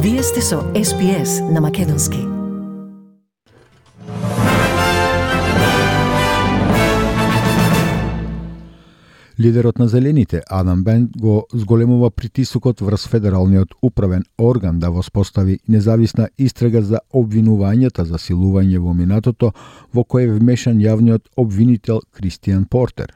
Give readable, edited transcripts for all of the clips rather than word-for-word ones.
Вие сте со SPS на Македонски. Лидерот на Зелените, Адам Бен, го зголемува притисокот врз федералниот управен орган да воспостави независна истрага за обвинувањата за силување во минатото, во кое е вмешан јавниот обвинител Кристијан Портер.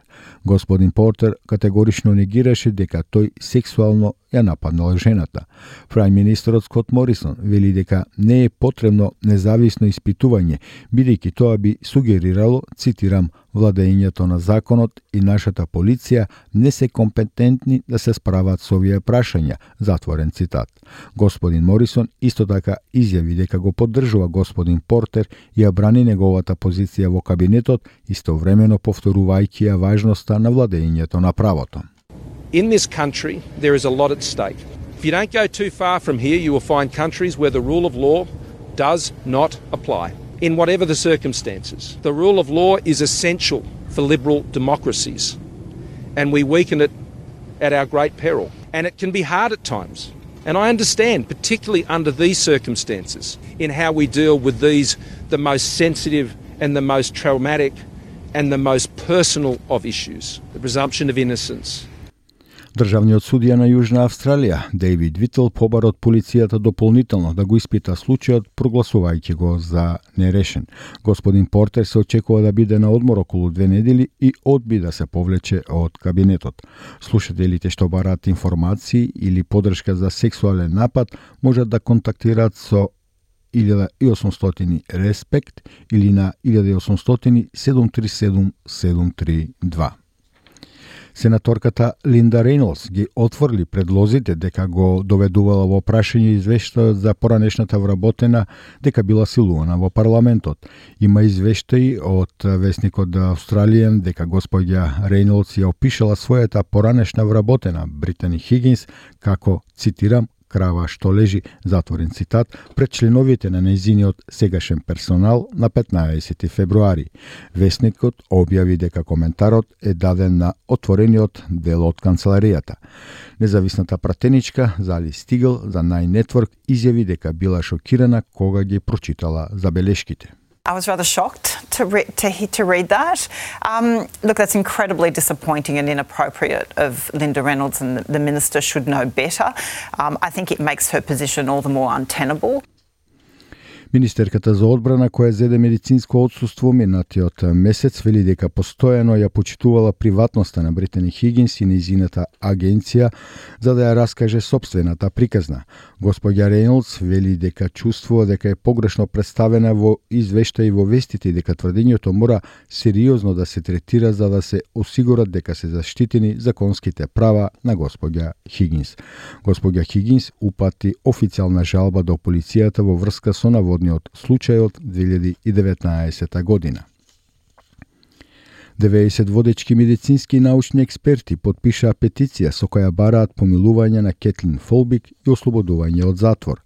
Господин Портер категорично негираше дека тој сексуално ја нападнал жената. Прајм министерот Скот Морисон вели дека не е потребно независно испитување, бидејќи тоа би сугерирало, цитирам, владењето на законот и нашата полиција не се компетентни да се справат со овие прашања, затворен цитат. Господин Морисон исто така изјави дека го поддржува господин Портер и ја брани неговата позиција во кабинетот, истовремено повторувајќи ја важноста на владењето на правото. In this country, there is a lot at stake. If you don't go too far from here, you will find countries where the rule of law does not apply. In whatever the circumstances. The rule of law is essential for liberal democracies, and we weaken it at our great peril. And it can be hard at times. And I understand, particularly under these circumstances, in how we deal with these, the most sensitive and the most traumatic and the most personal of issues, the presumption of innocence. Државниот судија на Јужна Австралија, Дейвид Вител, побара од полицијата дополнително да го испита случајот, прогласувајќи го за нерешен. Господин Портер се очекува да биде на одмор околу 2 недели и одби да се повлече од кабинетот. Слушателите што бараат информации или подршка за сексуален напад можат да контактираат со 1800 Респект или на 1800 737 732. Сенаторката Линда Рейнолдс ги отворли предлозите дека го доведувала во прашање извештајот за поранешната вработена дека била силувана во парламентот. Има извештаи од весникот The Australian дека господја Рейнолдс ја опишала својата поранешна вработена Британи Хигинс како, цитирам, крава што лежи, затворен цитат, пред членовите на нејзиниот сегашен персонал на 15 февруари. Весникот објави дека коментарот е даден на отворениот дел од канцеларијата. Независната пратеничка Зали Стигл за Nine Network изјави дека била шокирана кога ги прочитала забелешките. I was rather shocked to read that. Look, that's incredibly disappointing and inappropriate of Linda Reynolds, and the minister should know better. I think it makes her position all the more untenable. Министерката за одбрана, која зеде медицинско отсуство минатиот месец, вели дека постојано ја почитувала приватноста на Британи Хигинс и нејзината агенција за да ја раскаже сопствената приказна. Господја Рейнолдс вели дека чувствува дека е погрешно представена во извештаи во вестите и дека тврдењето мора сериозно да се третира за да се осигурат дека се заштитени законските права на господја Хигинс. Господја Хигинс упати официјална жалба до полицијата во врска со наводниот случај од 2019 година. 90 водечки медицински и научни експерти потпишаа петиција со која бараат помилување на Кетлин Фолбик и ослободување од затвор.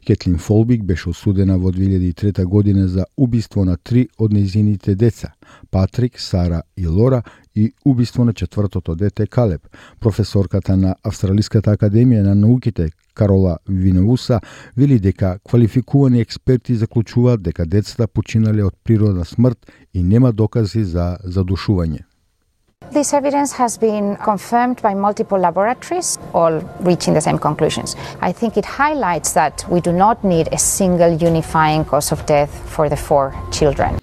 Кетлин Фолбик беше осудена во 2003 година за убиство на 3 од нејзините деца, Патрик, Сара и Лора, и убиство на четвртото дете Калеб. Професорката на Австралиската академија на науките Карола Винеуса вели дека квалификувани експерти заклучуваат дека децата починале од природна смрт и нема докази за задушување. This evidence has been confirmed by multiple laboratories, all reaching the same conclusions. I think it highlights that we do not need a single unifying cause of death for the 4 children.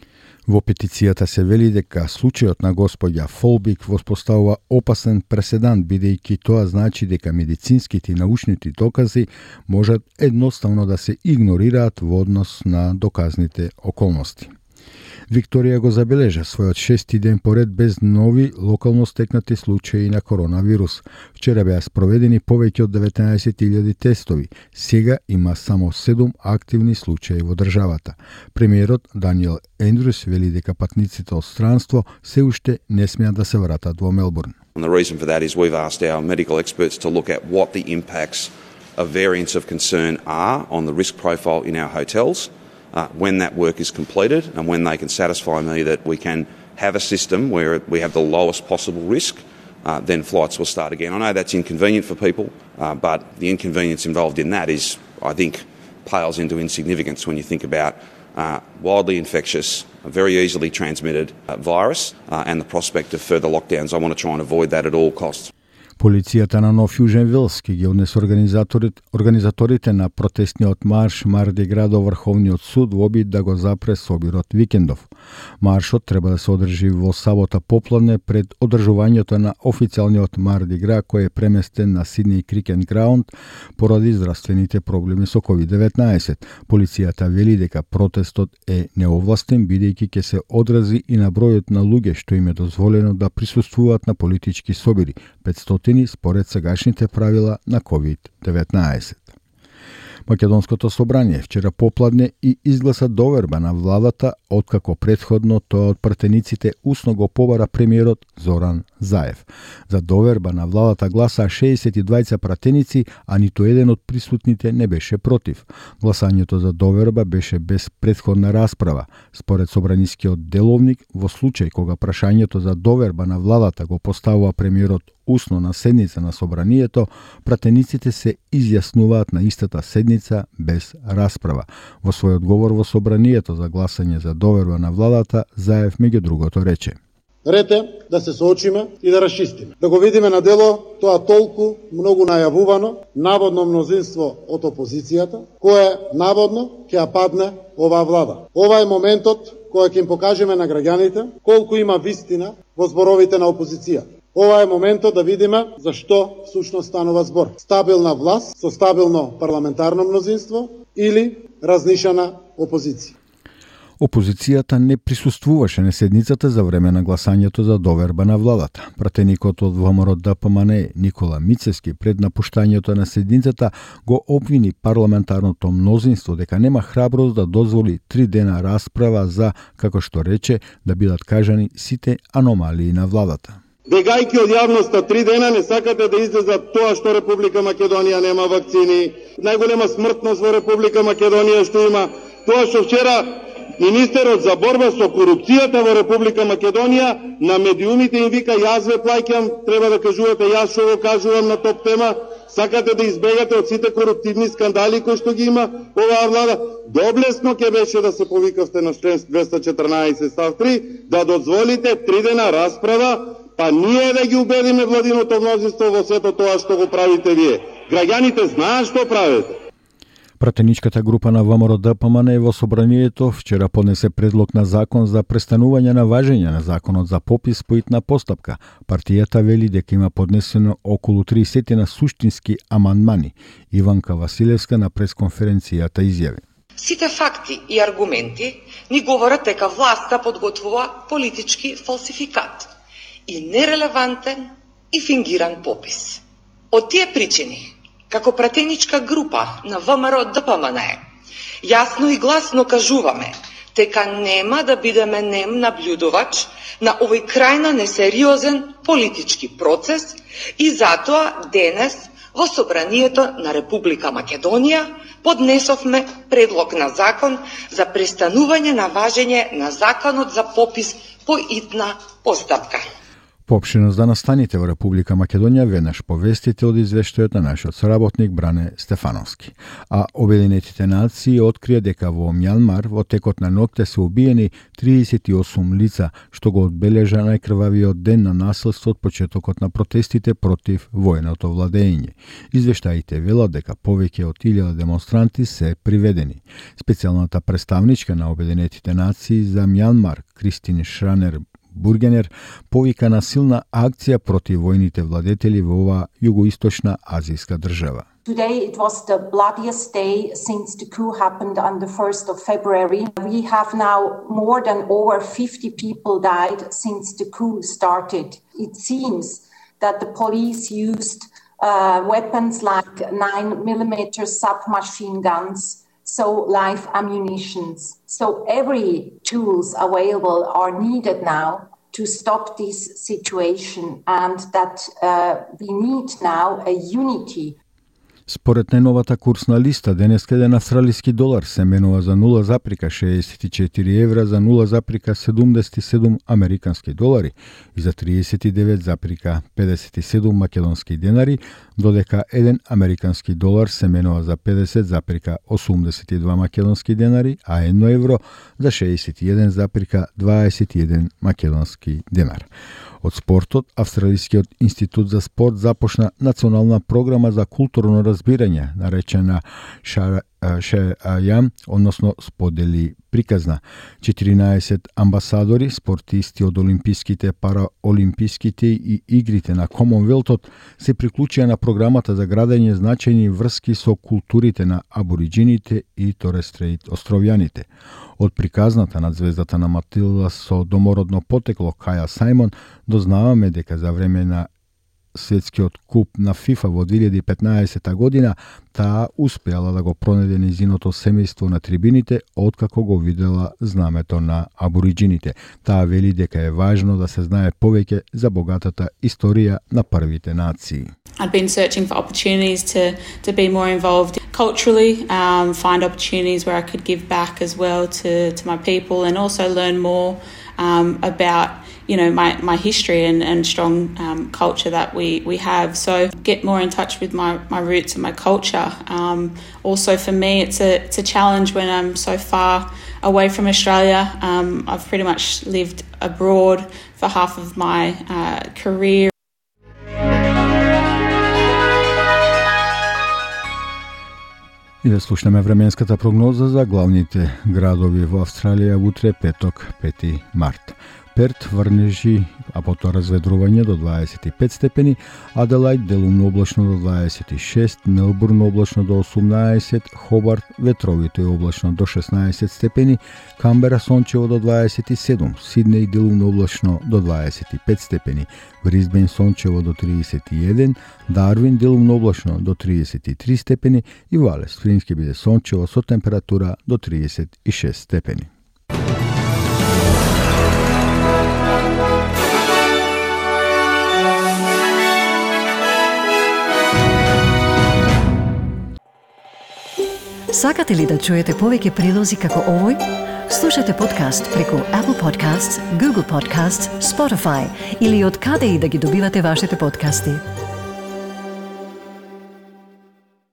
Во петицијата се вели дека случајот на господја Фолбик воспоставува опасен преседан, бидејќи тоа значи дека медицинските и научните докази можат едноставно да се игнорираат во однос на доказните околности. Викторија го забележа својот 6-ти ден поред без нови локално стекнати случаи на коронавирус. Вчера беа спроведени повеќе од 19.000 тестови. Сега има само 7 активни случаи во државата. Премиерот Даниел Ендрюс вели дека патниците од странство се уште не смеат да се вратат во Мелбурн. And the reason for that is we've asked our medical experts to look at what the impacts of variants of concern are on the risk profile in our hotels. When that work is completed and when they can satisfy me that we can have a system where we have the lowest possible risk, then flights will start again. I know that's inconvenient for people, but the inconvenience involved in that is I think pales into insignificance when you think about wildly infectious, very easily transmitted virus and the prospect of further lockdowns. I want to try and avoid that at all costs. Полицијата на Нов Јужен Велс ги однесе организаторите на протестниот марш Марди Гра до Врховниот суд во обид да го запре собирот викендов. Маршот треба да се одржи во сабота попладне пред одржувањето на официјалниот Марди Гра кој е преместен на Сиднеј Крикен Граунд поради здравствените проблеми со COVID-19. Полицијата вели дека протестот е неовластен бидејќи ќе се одрази и на бројот на луѓе што им е дозволено да присуствуваат на политички собири, 500 според сегашните правила на COVID-19. Македонското собрание вчера попладне и изгласа доверба на владата, откако претходно тоа од пратениците усно го побара премиерот Зоран Заев. За доверба на владата гласа 62 пратеници, а ниту еден од присутните не беше против. Гласањето за доверба беше без претходна расправа. Според собранискиот деловник, во случај кога прашањето за доверба на владата го поставува премиерот усно на седница на собранието, пратениците се изјаснуваат на истата седница без расправа. Во свој одговор во собранието за гласање за доверба на владата, Заев меѓу другото рече: Ред е да се соочиме и да расчистиме. Да го видиме на дело тоа толку многу најавувано наводно мнозинство од опозицијата, кое наводно ќе ја падне оваа влада. Ова е моментот кој ќе им покажеме на граѓаните колку има вистина во зборовите на опозицијата. Ова е моментот да видиме за што всушност станува збор. Стабилна власт со стабилно парламентарно мнозинство или разнишана опозиција. Опозицијата не присуствуваше на седницата за време на гласањето за доверба на владата. Пратеникот од ВМРО ДПМНЕ Никола Мицевски пред напуштањето на седницата го обвини парламентарното мнозинство дека нема храброст да дозволи 3 дена расправа за, како што рече, да бидат кажани сите аномалии на владата. Бегајќи од јавноста 3 дена не сакате да излезат тоа што Република Македонија нема вакцини, најголема смртност во Република Македонија што има, тоа што вчера министерот за борба со корупцијата во Република Македонија на медиумите им вика јас ве плаќам, треба да кажувате јас што го кажувам на топ тема, сакате да избегате од сите коруптивни скандали кои што ги има оваа влада. Доблесно ќе беше да се повикавте на член 214 став 3, да дозволите 3 дена расправа, па ние да ги убедиме владиното мнозинство во сето тоа што го правите вие. Граѓаните знаат што правите. Пратеничката група на ВМРО ДПМНЕ во собранието вчера поднесе предлог на закон за престанување на важење на законот за попис по итна постапка. Партијата вели дека има поднесено околу 30 на суштински амандмани. Иванка Василевска на пресконференцијата изјави: Сите факти и аргументи ни говорат дека власта подготвува политички фалсификат и нерелевантен и фингиран попис. Од тие причини, како пратеничка група на ВМРО ДПМНЕ, јасно и гласно кажуваме дека нема да бидеме нем наблюдувач на овој крајно несериозен политички процес и затоа денес во Собранието на Република Македонија поднесовме предлог на закон за престанување на важење на законот за попис по итна постапка. Поопштено за настаните во Република Македонија веднаш повестите од извештајот на нашиот соработник Бране Стефановски. А Обединетите нации открија дека во Мјанмар во текот на ноќта се убиени 38 лица, што го одбележа најкрвавиот ден на насилство од почетокот на протестите против военото владење. Извештаите велат дека повеќе од 1000 демонстранти се приведени. Специјалната представничка на Обединетите нации за Мјанмар, Кристин Шранер Бургенер, повика на силна акција против војните владетели во оваа југоисточна азијска држава. Today it was the bloodiest day since the coup happened on the 1st of February. We have now more than over 50 people died since the coup started. It seems that the police used weapons like 9mm submachine guns, so live ammunitions. So every tools available are needed now to stop this situation, and that we need now a unity. Според најновата курсна листа, денеска еден австралиски долар се менува за 0,64 евра, за 0,77 американски долари и за 39,57 македонски денари, додека еден американски долар се менува за 50,82 македонски денари, а 1 евро за 61,21 македонски денар. Од спортот, Австралискиот институт за спорт започна национална програма за културно разбирање, наречена Шеајам, односно сподели приказна. 14 амбасадори, спортисти од олимписките, параолимписките и игрите на Комонвелтот се приклучија на програмата за градење значајни врски со културите на абориджините и Торес-Стрейт островјаните. Од приказната над звездата на Матилда со домородно потекло Каја Сајмон дознаваме дека за време на светскиот куп на ФИФА во 2015 година таа успеала да го пронајде нејзиното семејство на трибините откако го видела знамето на абориджините. Таа вели дека е важно да се знае повеќе за богатата историја на првите нации. I've been searching for opportunities to be more involved culturally, find opportunities where I could give back as well to my people, and also learn more about my history and strong culture that we have. So get more in touch with my roots and my culture. Also for me, it's a challenge when I'm so far away from Australia. I've pretty much lived abroad for half of my career. И да слушнеме временската прогноза за главните градови во Австралија утре петок, 5 март. Перт врнежи, а потоа разведрување до 25 степени, Аделајд делумно облачно до 26, Мелбурн облачно до 18, Хобарт ветровито и облачно до 16 степени, Камбера сончево до 27, Сиднеј делумно облачно до 25 степени, Брисбен сончево до 31, Дарвин делумно облачно до 33 степени и во Алис Спрингс ќе биде сончево со температура до 36 степени. Сакате ли да чуете повеќе прилози како овој? Слушате подкаст преку Apple Podcasts, Google Podcasts, Spotify или од каде и да ги добивате вашите подкасти.